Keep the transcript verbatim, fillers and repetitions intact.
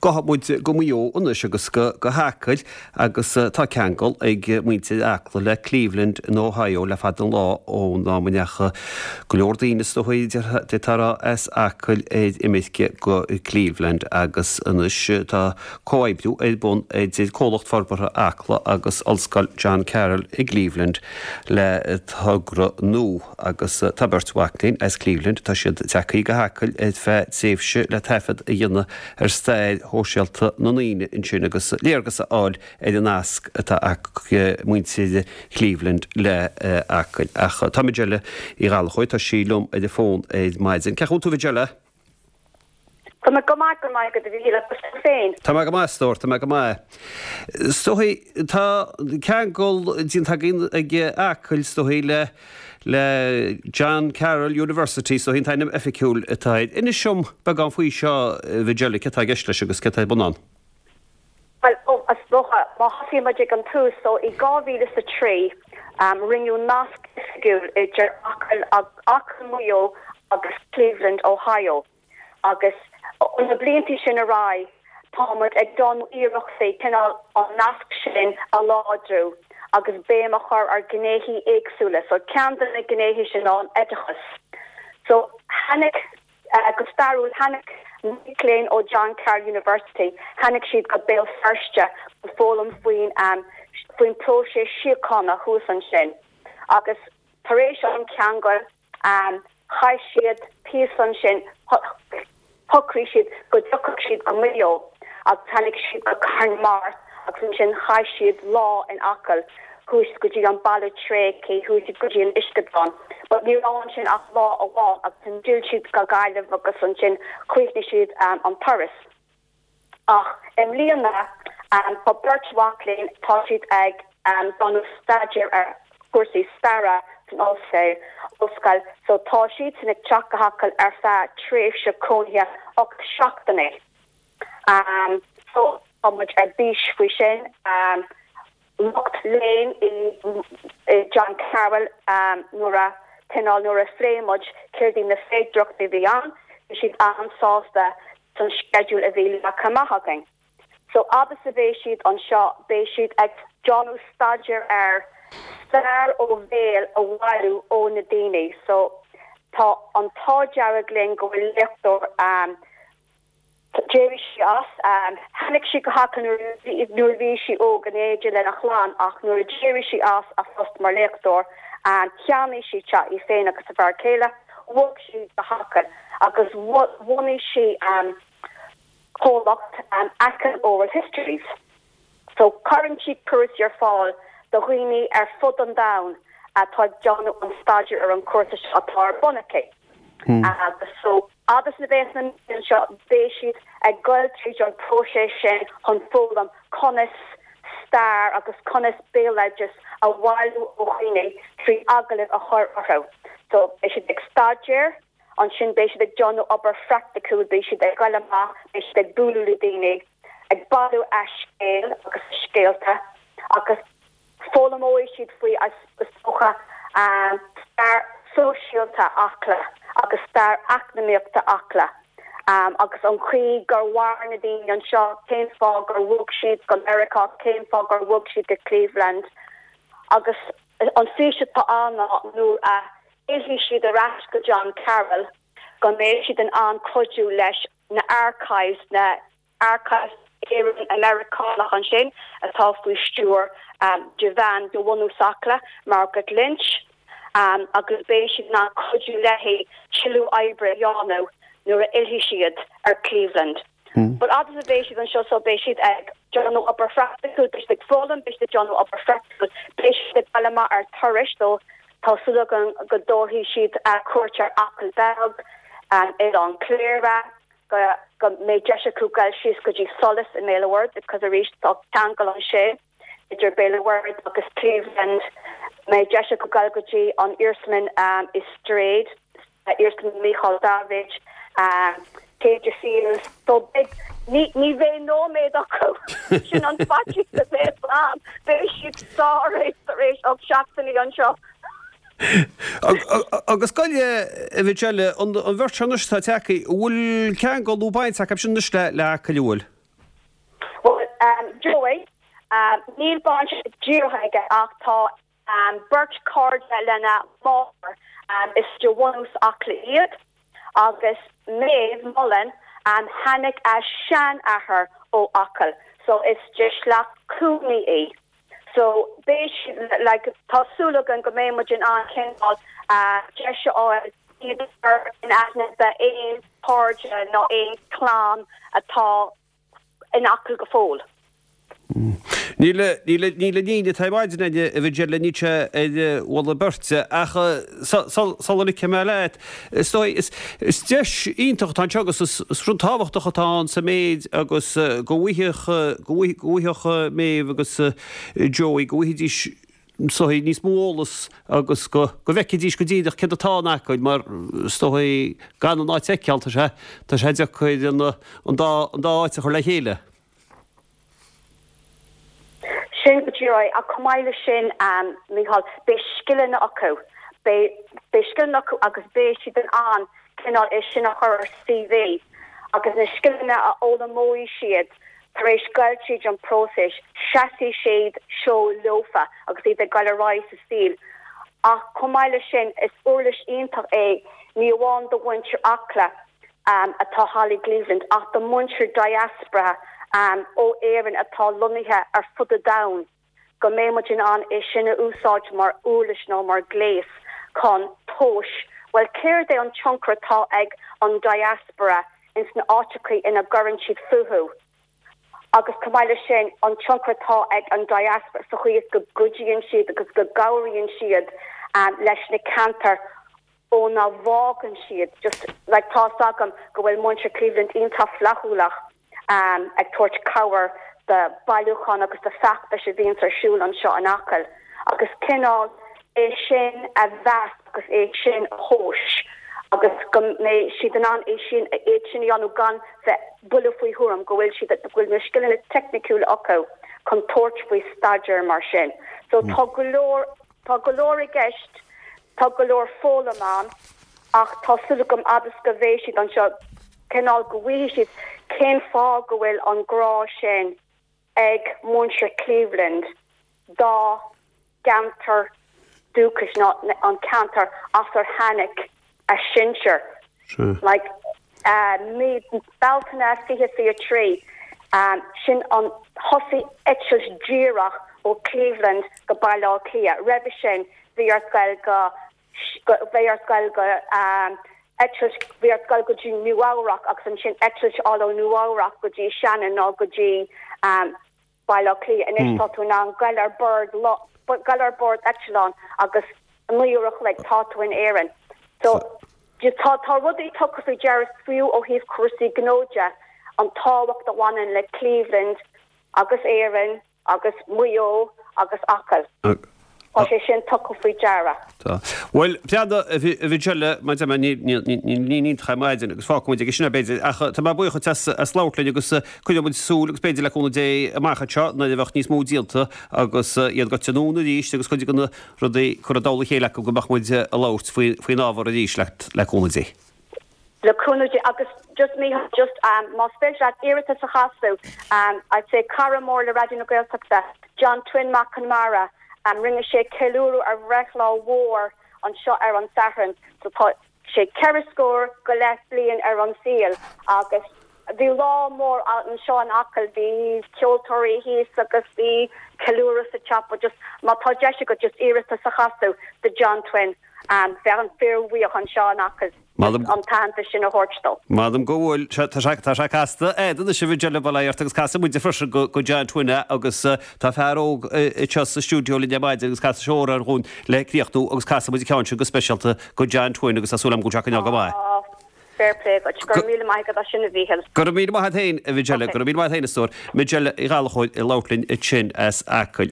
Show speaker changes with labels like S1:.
S1: Gabhfaidh muid go Maigh Eo anois agus go go hAcaill agus tá ceangal ag muintir Acla le Cleveland in Ohio le fada an lá ón am a ndeachaigh go leor daoine is dóigh d'fhéadfá a rá as Acaill ar imirce go Cleveland agus anois tá comhoibriú ar bun idir Comhlacht Forbartha Acla agus Ollscoil John Carroll i gCleveland le togra nua agus tá beirt mhac léinn as Cleveland tá siad tagtha go hAcaill ar feadh tréimhse le taifead a dhéanamh ar stair shóisialta na ndaoine ansin agus léargas a fháil ar an nasc atá ag muintir Cleveland le Acaill. Ach tá Majella Uí Ghallchóir tá sí liom ar an bhfón ar maidin. Cén chaoi a bhfuil tú Majella?
S2: Tá mé go maith go maith go bhí le féin.
S1: Tá mé go maith stór, tá mé go maith. Is dóigh tá ceangal déanta againn ag Acaill is dóigh le le John Carroll University so an t-ainm oifigiúil atá air. Inis dom beagán faoi seo Majella cad atá i gceist leis agus cad atá ar bun ann.
S2: Well ó is dócha má thosaíonn muid ag an tús so i dhá mhíle is a trí um, rinneadh nasc oifigiúil idir Acaill Acaill Maigh Eo agus Cleveland, Ohio. Agus ó na blianta sin ar aghaidh táimid ag déanamh iarrachtaí cineál an nasc sin a láidriú agus béim a chur ar ghnéithe éagsúla, so ceann de na gnéithe sin ná an oideachas. So tháinig uh, go stairiúil tháinig mic léinn ó John Carroll University, tháinig siad go Béal Feirste go foghlaim faoin um, faoin próiseas síochána thuas ansin. Agus tar éis an ceangal um, chaith siad píosa ansin shocraigh siad go dtiocfadh siad go Maigh Eo agus tháinig siad go Carn Mart agus ansin chaith siad lá in Acaill chuaigh go dtí an baile tréigthe chuaigh siad go dtí an uisceadán. But ní raibh ansin ach lá amháin agus ansin d'fhill siad go Gaillimh agus ansin chríochnaigh siad um, an turas. Ach i mbliana um, tá beirt mhac léinn tá siad ag um, déanamh staidéar ar chúrsaí staire san ollscoil ollscoil so tá siad sin ag teacht go hAcaill ar feadh tréimhse cónaithe ocht seachtainí. Um, so tá muid ar bís faoi sin um, lucht léinn i, i John Carroll um, nuair a cineál nuair a phléigh muid céard iad na féidearthachtaí a bhí ann, bhí siad an-sásta san sceideal a bhí leagtha amach againn. So fhad is a bheidh siad anseo beidh siad ag déanamh staidéar ar stair ó bhéal a bhailiú ó na daoine, so tá an t-ádh dearg linn go bhfuil léachtóir um, D'éirigh sí as um, tháinig sí go hAcaill nuair bhí sí óg in éindí lena clann ach nuair a d'éirigh sí as a post mar léachtóir an cheannaigh sí teach í féin agus a fear céile, bhog sí go hAcaill agus bhunaigh sí um, comhlacht um, Achill Oral Histories. So cuireann sí cúrsaí ar fáil do dhaoine ar fud an domhain atá ag déanamh an staidéar ar an cúrsa seo atá ar bun aici. Hmm. Agus so agus na bheith na seo beidh siad ag goil tríd an próiseas sin chun foghlaim conas stair agus conas béaloideas a bhailiú ó dhaoine trí agallamh a chur orthu. So beidh siad ag staidéar, ansin beidh siad ag déanamh obair phraiticiúil beidh siad ag goil amach, beidh siad ag bualadh le daoine, ag bailiú a scéal agus scéalta agus foghlaimeoidh siad faoi is dócha um, stair sóisialta Acla agus stair eacnamaíochta Acla. Um, agus an chaoi gur mhair na daoine anseo cén fáth gur bhog siad go Meiriceá cén fáth gur bhog siad go Cleveland. Agus an fís atá ann nuair a fhillfidh siad ar ais go John Carroll go mbeidh siad in ann cuidiú leis na archives na archives Éireann Americanach ansin atá faoi stiúir um, de bhean de bhunadh Acla Margaret Lynch um, agus beidh siad in ann cuidiú léi tuilleadh oibre a dhéanamh nuair a fhillfidh siad ar Cleveland. Mm. But fhad is a bheidh siad anseo so beidh siad ag déanamh obair phraiticiúil beidh siad ag foghlaim beidh siad ag déanamh obair phraiticiúil beidh siad ag dul amach ar turais so tá súil againn go dtabharfaidh siad uh, cuairt ar Acaill Bheag um, Oileán Cléire go go mbeidh deis acu dul síos go dtí Solas i mBéal an Mhuirthead because arís tá ceangal ansin idir Béal an Mhuirthead agus Cleveland mbeidh deis acu dul go dtí an iarsmalann um, i Straid uh, iarsmalann Michael David um, Céide Fields so beidh ní ní bheidh nóiméad acu sin an faitíos a bheidh ann beidh siad sáite tar éis ocht seachtainí anseo.
S1: Agus goile a bhí eile an bheirt anois tá tagtha bhfuil ceangal nó baint acu sin anois le le Acaill bhfuil.
S2: Joey, níl baint díreach aige ach tá beirt cairde lena máthair is de bhunús Acla iad agus Maeve Mullen tháinig a seanathair ó Acaill so is de shliocht Cooney í. So beidh like tá súil againn go mbeidh muid in ann cineál deis a fháil iad in aithne d'aon chairde nó aon clann atá in Acaill go fóill.
S1: Níl níl níine taobháidine a bhí le ní sé ar bhla beirte ach sula ligfidh mé leat. Is is deis iontach atá anseo agus is rud tábhachtach atá ann sa méid agus go bhfaigheadh go bhfaigheadh Maeve agus Joey go bhfaighidís is dóigh níos mó eolas agus go go bhfeicfidís go díreach céard atá in Acaill mar is dóigh gan an áit a fheiceáil tá sé tá sé deacair an an dá an dá áit a chur le chéile.
S2: Sin go díreach ach chomh maith leis sin um, Micheál beidh scileanna acu beidh beidh scileanna acu agus beidh siad in ann cineál é sin a chur ar CV agus na scileanna a fhoghlaimeoidh siad tar éis goil tríd an próiseas seasfaidh siad seo leofa agus iad ag goil ar aghaidh sa saol. Ach chomh maith leis sin is uirlis iontach é ní amháin do mhuintir Acla um, atá thall i gCleveland ach do mhuintir diaspora um, ó Éirinn atá lonnaithe ar fud an domhain go mbeidh muid in ann é sin a úsáid mar uirlis nó mar ghléas chun tomhas well céard é an tionchar atá ag an diaspora ins na áiteacha ina gcuireann siad fúthu. Agus chomh maith leis sin an tionchar atá ag an diaspora sa chaoi is go gcuidíonn siad agus go gcabhraíonn siad um, leis na ceantair óna bhfágann siad just like tá agam go bhfuil muintir Cleveland iontach flaithiúlach um, ag tabhairt cabhair do bailiúchán agus do feachtais a bhíonn ar siúl anseo in Acaill agus cineál é sin a mheas agus é sin a thomhas agus go mbeidh siad in ann é sin é sin a dhéanamh gan bheith buille faoi thuairim go bhfuil siad go bhfuil na scileanna teicniúla acu chun tabhairt faoi staidéar mar sin. So tá go leor tá go leor i gceist tá go leor foghlaim ann ach tá súil agam agus go mbeidh siad anseo cineál go bhfaighidh siad cén fáth go bhfuil an grá sin ag muintir Cleveland dá gceantar dúchais ná an ceantar as ar tháinig a sinsir. Like uh, mí Bealtaine fiche fiche trí um, sin an thosaigh eitilt díreach ó Cleveland go Baile Átha Cliath. Roimhe sin bhí ort goil go bhí ort goil go um, eitilt bhí ort goil go dtí Nua-Eabhrac agus ansin eitilt ó Nua-Eabhrac go dtí Shannon nó go dtí um, Baile Átha Cliath anois tá tú in ann goil ar bord goil ar bord eitleán agus naoi uair a chloig tá tú in Éirinn. So tá tá rudaí tugtha faoi deara fiú ó thaobh cúrsaí gnó de an tábhacht a bhaineann le Cleveland agus Éirinn agus Maigh Eo agus Acaill. Tá sé sin tugtha faoi deara.
S1: Well peada a bhí má ní chamáidin agus fágfaimid ag sin b'fhéidir ach tá mé buíoch as as labhairt linn agus coinneoidh muid súil agus b'fhéidir le cúnamh Dé amach anseo nuair a bheadh níos mó déanta agus iad gaibhte anonn arís agus cuid de na rudaí curtha i dtoll a chéile acu go mbeadh muid ag labhairt faoin ábhar arís le cúnamh Dé.
S2: Le cúnamh Dé agus just me just um, más féidir leat iarratas a chasadh um, I'd say cara mór le Raidió na Gaeltachta John Twin Mac Conmara um, rinne sé ceiliúradh ar bhreithlá mhór anseo ar an Satharn so tá sé ceithre scór go leith bliain ar an saol agus bhí lá mór anseo in Acaill bhí ceoltóirí thíos agus bhí ceiliúradh sa chapel just má tá deis agat just iarratas a chasadh do John Twin um, bheadh an fíorbhuíoch anseo in Acaill an t-aitheantas sin a thabhairt dó.
S1: Madam go bhfuil tá sé casta é si bhí bailart agus casfaidh muid freisin go go John Twin agus tá fear óg anseo sa stiúideo linn ar maidin agus casfaidh sé amhrán dúinn le críochnú agus casfaidh muid ceann sin go speisialta go John Twin agus tá súil agam go go go maith.
S2: Fair play go gur míle maith go sin a Mhíchíl.
S1: Gur mí maith hain a bhí gur mí maith hain istór, Michelle Gallachóid i Loughlin i sin as Acaill.